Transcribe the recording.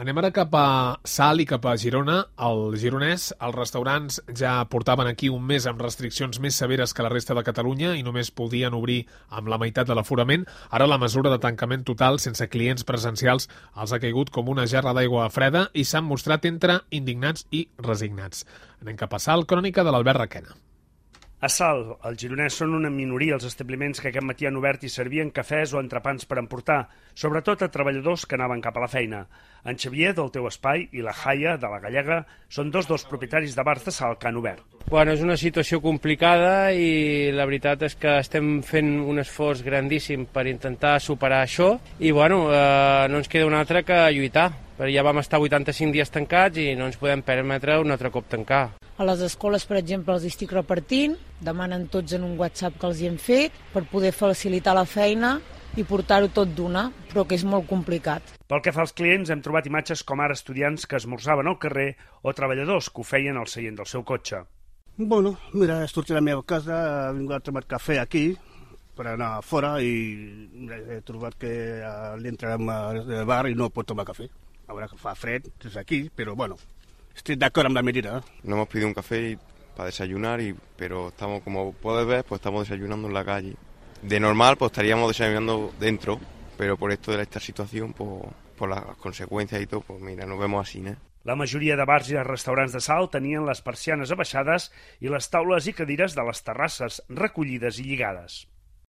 Anem ara cap a Salt i cap a Girona. Al Gironès, els restaurants ja portaven aquí un mes amb restriccions més severes que la resta de Catalunya i només podien obrir amb la meitat de l'aforament. Ara la mesura de tancament total sense clients presencials els ha caigut com una gerra d'aigua freda i s'han mostrat entre indignats i resignats. Anem cap a Salt, crònica de l'Albert Requena. A Salt, al Gironès, són una minoria els establiments que aquest matí han obert i servien cafès o entrepans per emportar, sobretot a treballadors que anaven cap a la feina. En Xavier, del Teu Espai, i la Jaia, de la Gallega, són dos dels propietaris de bars de Salt que han obert. Bueno, és una situació complicada i la veritat és que estem fent un esforç grandíssim per intentar superar això i bueno, no ens queda un altre que lluitar. Però ja vam estar 85 dies tancats i no ens podem permetre un altre cop tancar. A les escoles, per exemple, els estic repartint, demanen tots en un WhatsApp que els hi hem fet per poder facilitar la feina i portar-ho tot d'una, però que és molt complicat. Pel que fa als clients, hem trobat imatges com ara estudiants que esmorzaven al carrer o treballadors que ho feien al seient del seu cotxe. Bueno, mira, he sortit a la meva casa, he vingut a tomar cafè aquí, per anar fora i he trobat que l'entrarem al bar i no pot tomar cafè. Ahora que fa fred desde aquí, pero bueno, estoy de acuerdo con la medida. No hemos pedido un café para desayunar, pero estamos, como puedes ver, pues estamos desayunando en la calle. De normal, pues estaríamos desayunando dentro, pero por esto de esta situación, pues, por las consecuencias y todo, pues mira, nos vemos así, ¿no? La majoria de bars i de restaurants de Salt tenien les persianes abaixades i les taules i cadires de les terrasses recollides i lligades.